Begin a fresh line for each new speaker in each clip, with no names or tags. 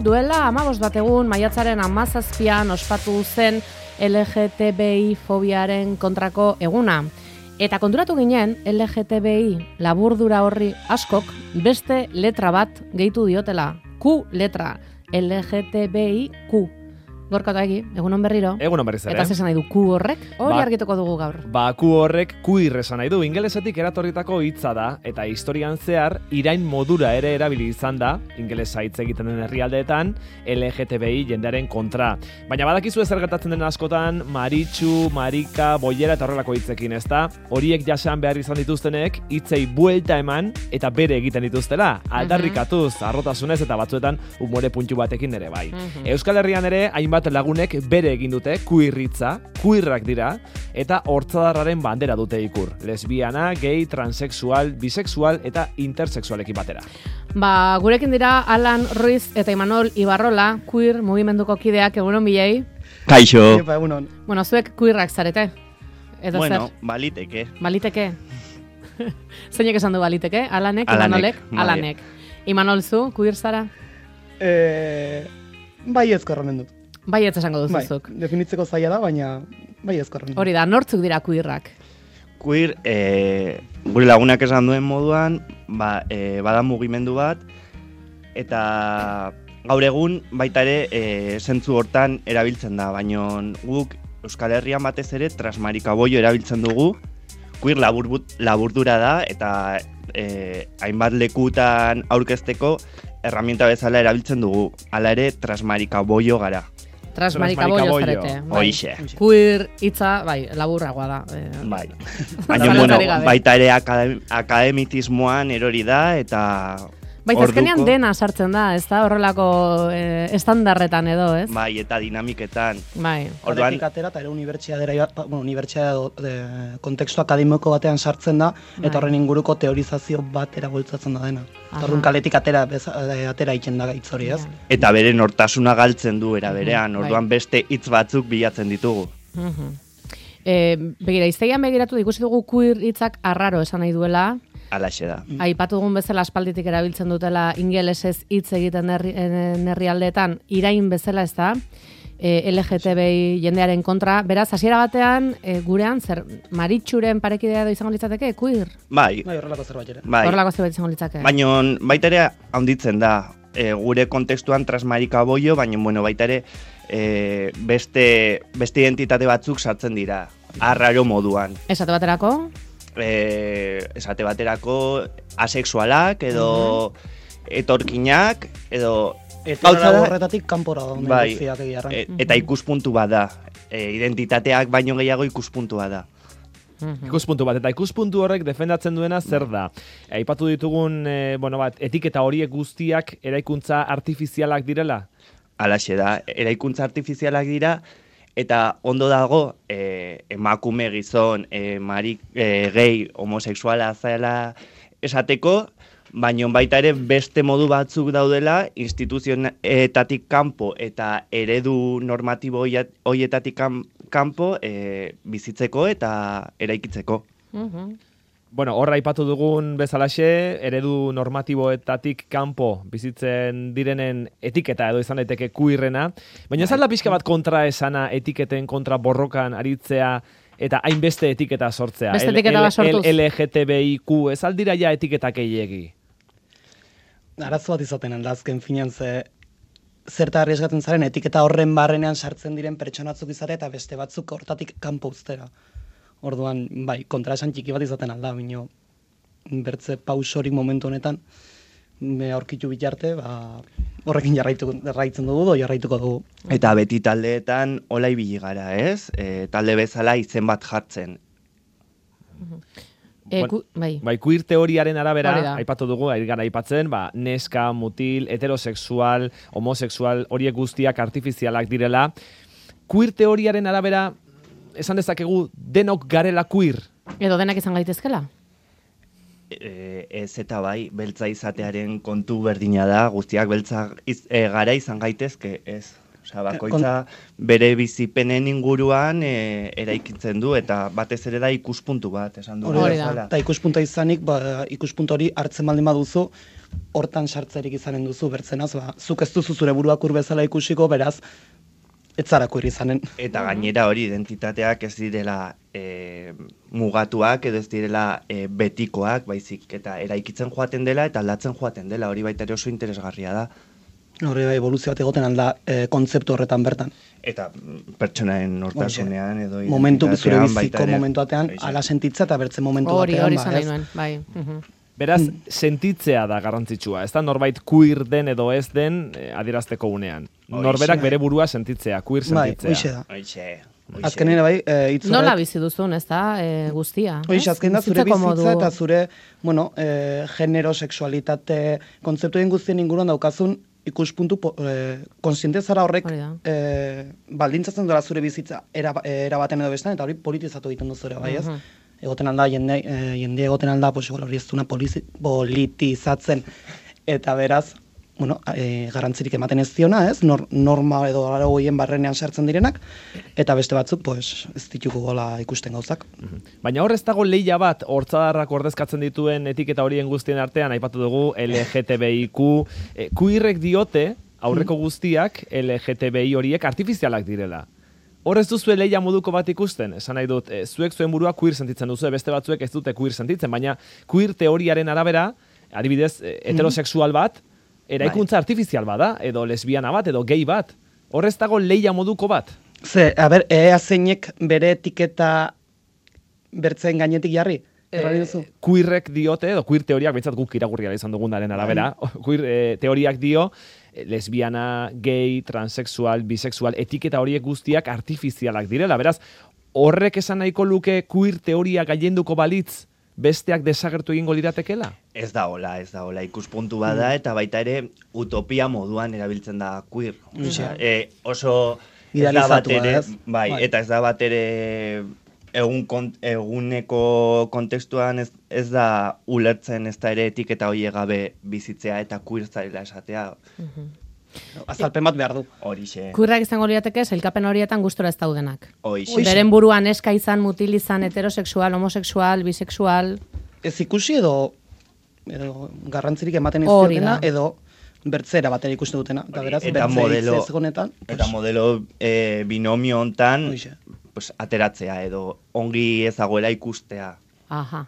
Duela 15 bat egun, maiatzaren 17an ospatu zen LGTBI fobiaren kontrako eguna. Eta konturatu ginen, LGTBI laburdura horri askok beste letra bat gehitu diotela. Q letra, LGTBIQ. Gorka eta egi, egunon berriro.
Egunon berriz ere.
Eta zesan nahi du Q horrek? Hori argituko dugu gaur.
Q horrek queer esan nahi du. Ingelesetik eratorritako hitza da, eta historian zehar irain modura ere erabili izan da, ingelesa hitz egiten den herrialdeetan, LGTBI jendearen kontra. Baina badakizu zer gertatzen den askotan, maritxu, marika, boiera eta horrelako hitzekin, ezta? Horiek jasan behar izan dituztenek, hitzei buelta eman eta bere egiten dituztela. Aldarrikatuz, arrotasunez eta batzuetan umore puntu batekin ere bai. Euskal Herrian ere, hainbat lagunek bere egin dute queerritza, queerrak dira, eta hortzadarraren bandera dute ikur. Lesbiana, gay, transexual, bisexual eta intersexualekin batera.
Gurekin dira Alan Ruiz eta Imanol Ibarrola, queer mugimenduko kideak, egunon bilei.
Kaixo.
Egunon.
Bueno, zuek queerrak zarete? Edo
bueno,
zer?
Baliteke.
Baliteke? Zeinek esan du baliteke? Alanek, Imanolek? Alanek. Imanol zu, queer zara?
Bai ezkorronen dut.
Bai ez esango duzuzuk.
Definitzeko zaila da, baina bai ezkorronen dut.
Hori da, nortzuk dira queerrak?
Queer, gure lagunak esan duen moduan, bada mugimendu bat, eta gaur egun baita ere zentzu hortan erabiltzen da, baina guk Euskal Herrian batez ere transmarikaboio erabiltzen dugu, queer laburdura da, eta hainbat lekutan aurkezteko erramienta bezala erabiltzen dugu, hala ere transmarikaboio gara.
Transmarikaboio zarete.
Hoixe.
Queer hitza, laburragoa da.
Bai. Baina, baita ere akademitismoan erori da, eta
azkenean dena sartzen da, ez da? Horrelako estandarretan edo, ez?
Bai, eta dinamiketan.
Bai.
Horretik atera, eta ere unibertsiade kontekstu akademiko batean sartzen da, eta horren inguruko teorizazio bat eraboltzatzen da dena. Horren kaletik atera itzen da hitz hori, ez?
Eta bere nortasuna galtzen du era berean, orduan beste hitz batzuk bilatzen ditugu.
Begira, iztegian begiratu ikusi dugu queer hitzak arraro esan nahi duela.
Alaxe da.
Aipatu dugun bezala aspalditik erabiltzen dutela ingelesez hitz egiten herrialdeetan irain bezala, ez da? LGTBI jendearen kontra. Beraz, hasiera batean, gurean, zer, maritxuren parekidea edo izango litzateke, queer?
Bai.
Horrelako zerbait ere.
Horrelako zerbait izango litzake.
Baina baita ere handitzen da, gure kontekstuan transmarikaboio, baina baita ere beste identitate batzuk sartzen dira, arraro moduan.
Esate baterako?
Esate baterako asexualak edo etorkinak edo
eta horretatik kanpora da.
Bai, eta ikuspuntu bat da. Identitateak baino gehiago ikuspuntua da.
Ikuspuntu bat, eta ikuspuntu horrek defendatzen duena zer da. Aipatu ditugun etiketa horiek guztiak eraikuntza artifizialak direla?
Halaxe da, eraikuntza artifizialak dira, eta ondo dago emakume gizon, gay, homosexuala zela esateko, baina baita ere beste modu batzuk daudela instituzioetatik kanpo eta eredu normatibo horietatik kanpo bizitzeko eta eraikitzeko.
Bueno, horra aipatu dugun bezalaxe, eredu normatiboetatik kanpo bizitzen direnen etiketa edo izan daiteke queerrena, baina ez alda pixka bat kontra esana etiketen kontra borrokan aritzea eta hainbeste etiketa sortzea.
Beste etiketa bat sortuz.
LGTBIQ, ez aldira ja etiketak gehiegi?
Arazo bat izaten da, azken finean zerta arriesgatzen zaren etiketa horren barrenean sartzen diren pertsonatzuk izate eta beste batzuk hortatik kanpo uztera. Orduan, kontra esan txiki bat izaten alda, bineo, bertze pausorik momentu honetan, aurkitu bitarte, horrekin jarraitzen dugu, jarraituko dugu.
Eta beti taldeetan hola ibili gara, ez? Talde bezala izen bat jartzen.
Queer teoriaren arabera, aipatu dugu, gara aipatzen, neska, mutil, heterosexual, homosexual, horiek guztiak artifizialak direla. Queer teoriaren arabera, esan dezakegu denok garela queer?
Edo denak izan gaitezkela?
Ez eta bai, beltza izatearen kontu berdina da, guztiak beltza gara izan gaitezke, ez. Osea, bakoitza bere bizipenen inguruan eraikitzen du, eta batez ere da ikuspuntu bat, esan du.
Eta ikuspuntua izanik, ikuspuntu hori hartzen baldin baduzu, hortan sartzerik izanen duzu bertzenaz, zuk ez duzu zure buruak bezala ikusiko, beraz, ez zara queer izanen.
Eta gainera hori identitateak ez direla mugatuak edo ez direla betikoak, baizik eta eraikitzen joaten dela eta aldatzen joaten dela, hori baita ere oso interesgarria da.
Hori evoluzio bat egoten alda kontzeptu horretan bertan.
Eta pertsonaen nortasunean edo
momentu zure
identitatean
biziko momentu batean, ala sentitza eta bertzen momentu batean.
Hori zan nahi nuen, bai.
Beraz, sentitzea da garrantzitsua, ez da norbait queer den edo ez den adierazteko unean. Norberak bere burua sentitzea, queer sentitzea.
Bai, azkenean bai, hitz
nola bizi duzun, ez da, guztia?
Hoxe, azken da zure bizitza eta zure, genero, sexualitate, kontzeptuen guztien inguruan daukazun ikuspuntu konsiente zara horrek baldintzatzen dola zure bizitza erabaten edo bestan, eta hori politizatu egiten duzure, bai ez? Egoten alda, jende egoten alda, hori ez duna politizatzen, eta beraz, garrantzirik ematen ez diona, ez? Norma edo aragoien barrenean sartzen direnak, eta beste batzuk, ez dituko gola ikusten gauzak.
Baina hor ez dago lehia bat, hortzadarrak ordezkatzen dituen etiketa horien guztien artean, aipatu dugu LGTBIQ, queerrek diote, aurreko guztiak, LGTBI horiek artifizialak direla. Hor ez duzu lehia moduko bat ikusten, esan nahi dut, zuek zuen burua queer sentitzen duzu, beste batzuek ez dute queer sentitzen, baina queer teoriaren arabera, adibidez, heterosexual bat, eraikuntza artifizial bada, edo lesbiana bat, edo gay bat. Hor ez dago lehia moduko bat.
Ea zeinek bere etiketa bertzen gainetik jarri?
Queerrek diote, edo queer teoriak, behintzat guk irakurria izan dugunaren arabera, queer teoriak dio, lesbiana, gay, transexual, bisexual, etiketa horiek guztiak artifizialak direla. Beraz, horrek esan nahiko luke queer teoria gailenduko balitz, besteak desagertu egingo liratekela?
Ez da hola, ikuspuntu bada eta baita ere utopia moduan erabiltzen da queer. Oso
idealizatua, ez?
Bai, eta ez da bat ere eguneko kontestuan ez da ulertzen ez da ere etiketa hoie gabe bizitzea eta queer zarela esatea.
Azalpen bat behar du.
Horixe.
Queerrak izango lirateke, sailkapen horietan gustora ez daudenak.
Horixe.
Beren buruan eska izan, mutil izan, heterosexual, homosexual, bisexual.
Ez ikusi edo garrantzirik ematen ez diotena, edo bertzera batera ikusten dutena. Eta beraz, bertzea ez gonetan.
Eta modelo binomio hontan ateratzea edo ongi ezagoela ikustea.
Aha.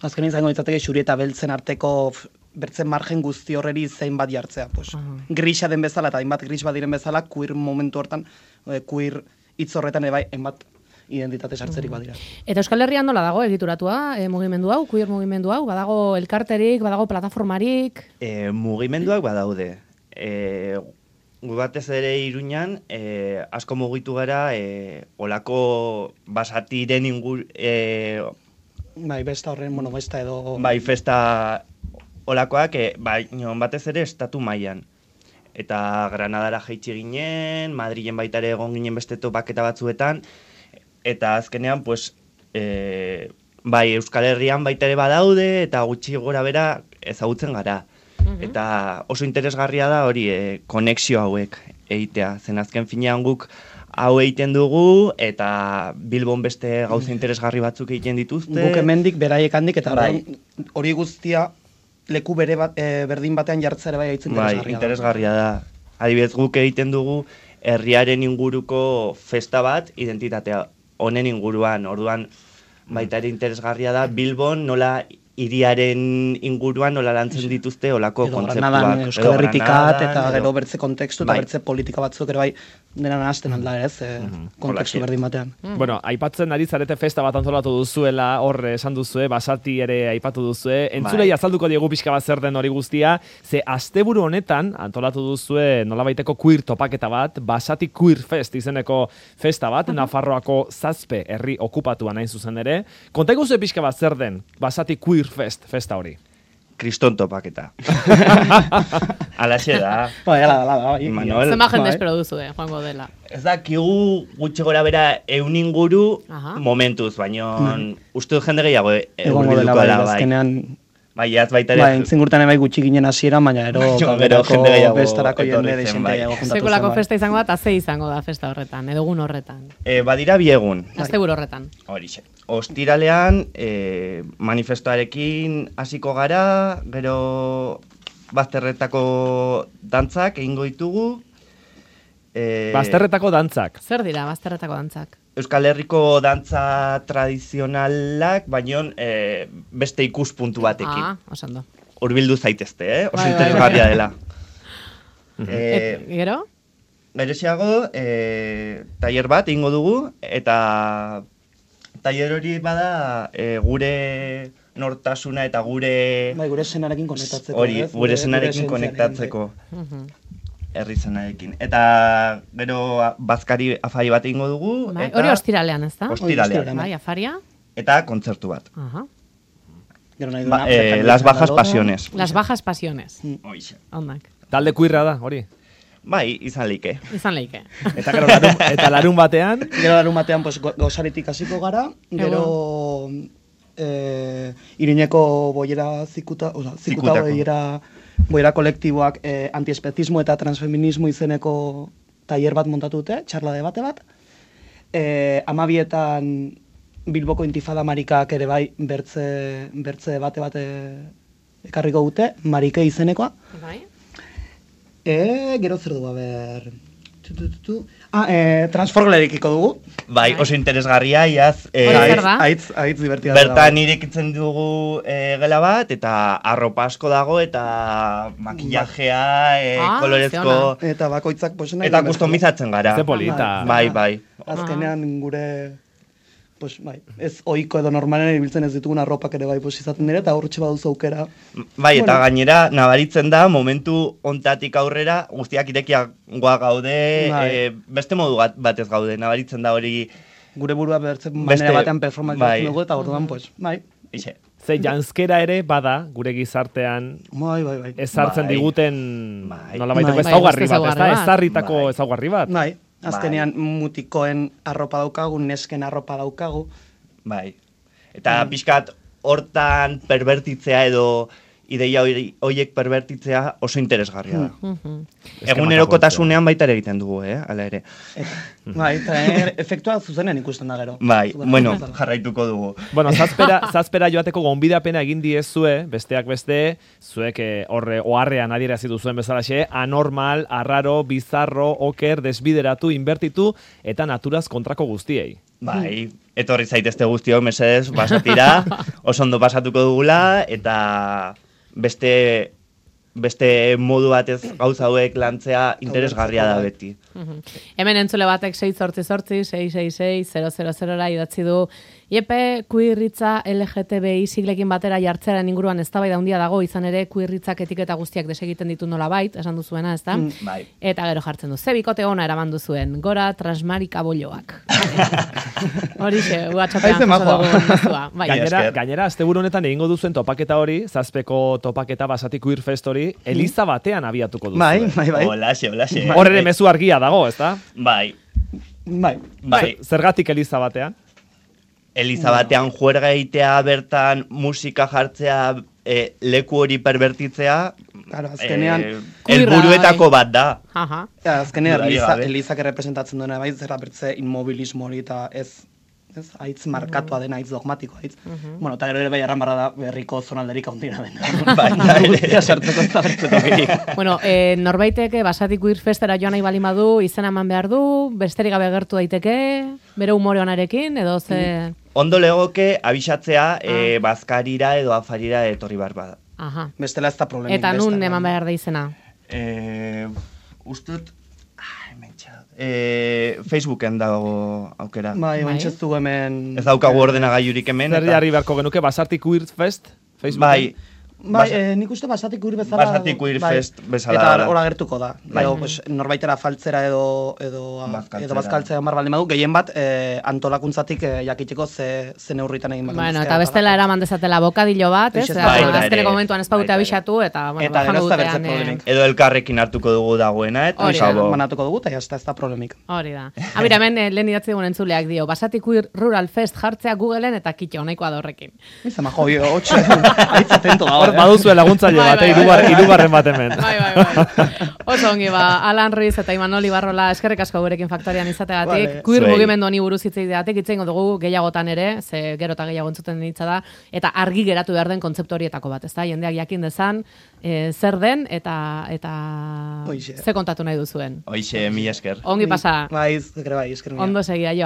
Azken izango ditzateke xuri eta beltzen arteko bertzen margen guzti horreri zein bat jartzea. Grisa den bezala eta hainbat gris bat diren bezala, queer momentu hortan, queer hitz horretan bai, hainbat identitate sartzerik badira.
Eta Euskal Herrian nola dago egituratua mugimendu hau, queer mugimendu hau? Badago elkarterik, badago plataformarik?
Mugimenduak badaude. Gu batez ere Iruñan, asko mugitu gara, olako basatiren
bai, besta horren, besta edo...
Bai, festa olakoak, batez ere estatu mailan. Eta Granadara jaitsi ginen, Madrilen baita ere egon ginen beste topaketa batzuetan, eta azkenean, bai, Euskal Herrian baita ere badaude, eta gutxi gora bera ezagutzen gara. Eta oso interesgarria da hori konexio hauek egitea. Zen azken finean guk hau egiten dugu, eta Bilbon beste gauza interesgarri batzuk egiten dituzte.
Guk hemendik beraiek handik, eta hori guztia leku berdin batean jartzea bai
interesgarria da. Adibidez guk egiten dugu herriaren inguruko festa bat, identitatea honen inguruan. Orduan baita ere interesgarria da Bilbon nola hiriaren inguruan nola lantzen dituzte olako kontzeptuak.
Edo Granadan Euskal Herritikat eta gero bertze kontekstu eta bertze politika batzuk ere bai dena nahazten alda ez, kontekstu berdin batean.
Bueno, aipatzen ari zarete festa bat antolatu duzuela, hor esan duzue, basati ere aipatu duzue, entzulei azalduko diegu pixka bat zer den hori guztia, ze asteburu honetan antolatu duzue nolabaiteko queer topaketa bat, Basati Queer Fest izeneko festa bat, Nafarroako Zazpe herri okupatuan hain zuzen ere. Konta iguzu pixka bat zer den Basati Queer Fest, festa hori.
Kriston topaketa. Alaxe da.
Bai, ala.
Zema jende espero duzue, joango dela.
Ez da, kigu gutxi gora bera inguru momentuz, baina uste dut jende gehiago
egurbilduko dela, bai.
Bai, ez baita ere...
Bai, entzingurtan bai gutxi ginen hasiera, baina ero bestarako jende desente gehiago juntatu zen.
Sekulako festa izango da, eta ze izango da festa horretan, edo egun horretan.
Badira bi egun.
Asteburu horretan.
Horixe. Ostiralean, manifestoarekin hasiko gara, gero bazterretako dantzak egingo ditugu.
Bazterretako dantzak.
Zer dira bazterretako dantzak?
Euskal Herriko dantza tradizionalak, baino beste ikuspuntu batekin.
Oso ondo.
Hurbildu zaitezte, oso
Bai,
interesgarria dela.
Gero?
Gerexiago, tailer bat egingo dugu, eta tailer hori bada gure nortasuna eta gure...
Bai, gure senarekin konektatzeko.
Hori, gure senarekin konektatzeko. Herri zenarekin. Eta gero bazkari afari bat egingo dugu.
Hori ostiralean, ez da?
Ostiralean.
Bai, afaria.
Eta kontzertu bat.
Gero nahi
Las Bajas Pasiones.
Las Bajas Pasiones.
Hoixe.
Ondak.
Talde kuirra da, hori?
Bai, izan leike.
Izan leike.
Eta gero larun batean?
Gero larun batean pues, gozaritik hasiko gara, gero Iruñeko boiera zikuta boiera kolektiboak antiespezismo eta transfeminismo izeneko tailer bat montatu dute, txarla debate bat. 12etan Bilboko Intifada Marikak ere bai bertze debate bat ekarriko dute, Marike izenekoa.
Bai.
Gero zer du, Transforglerikiko dugu.
Bai, oso interesgarria, iaz.
Aitz divertida.
Bertan irekitzen dugu gela bat, eta arropa asko dago, eta makillajea, kolorezko...
Eta bakoitzak posena...
Eta kustomizatzen gara.
Ze polita.
Bai.
Azkenean gure... Pues, bai, ez ohiko edo normalen ibiltzen ez ditugun arropak ere bai izaten dira, eta horretxe baduzu aukera.
Bai, eta gainera, nabaritzen da, momentu ontatik aurrera, guztiak irekiagoa gaude, beste modu batez gaude, nabaritzen da hori...
Gure burua bertzen manera batean performatzen dugu, eta orduan, pues, bai.
Ixe.
Ze janskera ere bada, gure gizartean, ezartzen diguten, nola baiteko ezaugarri bat, ezarritako ezaugarri bat.
Bai. Azkenean mutikoen arropa daukagu, nesken arropa daukagu.
Bai. Eta pixkat hortan perbertitzea edo ideia horiek perbertitzea oso interesgarria da. Egunerokotasunean baita ere egiten dugu, hala ere.
Bai, eta efektua zuzenean ikusten da gero.
Bai, bueno, jarraituko dugu.
Bueno, zazpera joateko gonbidapena egin diezue, besteak beste, zuek oharrean adierazi duzuen bezalaxe, anormal, arraro, bizarro, oker, desbideratu, inbertitu, eta naturaz kontrako guztiei.
Bai, etorri zaitezte guztiok, mesedez, basatira, oso ondo pasatuko dugula, eta beste modu batez gauza hauek lantzea interesgarria da beti.
Hemen entzule batek 688-666-000 idatzi du. Iepe, kuirritza LGTBI siglekin batera jartzearen inguruan eztabaida handia dago, izan ere kuirritzak etiketa guztiak desegiten ditu nola bait, esan duzuena, ez da?
Bai.
Eta gero jartzen du, ze bikote ona eraman duzuen, gora transmarika bolloak. Horixe, WhatsAppean jaso dugu mezua.
Gainera, asteburu honetan egingo duzuen topaketa hori, zazpeko topaketa Basati Queer Fest hori, Eliza batean abiatuko duzu.
Bai.
Olaxe.
Hor ere mezu argia dago, ez da?
Bai.
Zergatik Eliza batean?
Eliza batean juerga egitea, bertan musika jartzea, leku hori perbertitzea, helburuetako bat da.
Azkenean, Elizak errepresentatzen duena bai, zerra bertze inmobilismo hori eta ez haitz markatua dena, haitz dogmatiko haitz. Bueno, eta gero ere bai arranbarra da berriko zonalderik haundina dena.
Bai,
sartzeko eta bertzetokirik.
Bueno, norbaitek Basati Queer Festera joan nahi baldin badu, izena eman behar du, besterik gabe gertu daiteke, bere umore onarekin, edo ze...
Ondo legoke abisatzea bazkarira edo afarira etorri behar bada.
Bestela ez da problemik.
Eta nun eman behar da izena?
Ustut... Facebooken dago aukera.
Bai, bentsestu hemen...
Ez daukagu ordenagailurik hemen.
Zer jarri beharko genuke, Basati Queer Fest?
Bai.
Nik uste Basati Queer bezala...
Basati Queer Fest bezala.
Eta hor agertuko da. Norbaitera faltzera edo bazkaltzea mar baldin badu, gehien bat antolakuntzatik jakiteko ze neurritan egin baldin.
Bueno, eta bestela eraman dezatela bokadillo bat, ez? Azkeneko momentuan ez baute abisatu, eta jango dutean...
Edo elkarrekin hartuko dugu dagoena, eta
manatuko dugu, eta ez da problemik.
Hori da. Abira, hemen lehen idatzi dugun entzuleak dio, Basati Queer Rural Fest jartzea Googleen eta kitxo, nahikoa da horrekin.
Izan majo, hotxe, haitz atento gaur.
baduzue laguntzaile bat, hirugarren bat hemen.
Bai. Oso ongi Alan Ruiz eta Imanol Ibarrola eskerrik asko gurekin faktorian izategatik.
Vale.
Queer
Zuei.
mugimendu honi buruz hitz egiteagatik hitz egingo dugu gehiagotan ere, ze gero eta gehiago entzuten ditza da, eta argi geratu behar den kontzeptu horietako bat, ezta? Jendeak jakin dezan zer den eta
Hoixe.
ze kontatu nahi duzuen.
Hoixe, mila esker.
Ongi pasa.
Bai, esker, esker.
Ondo segia, jo.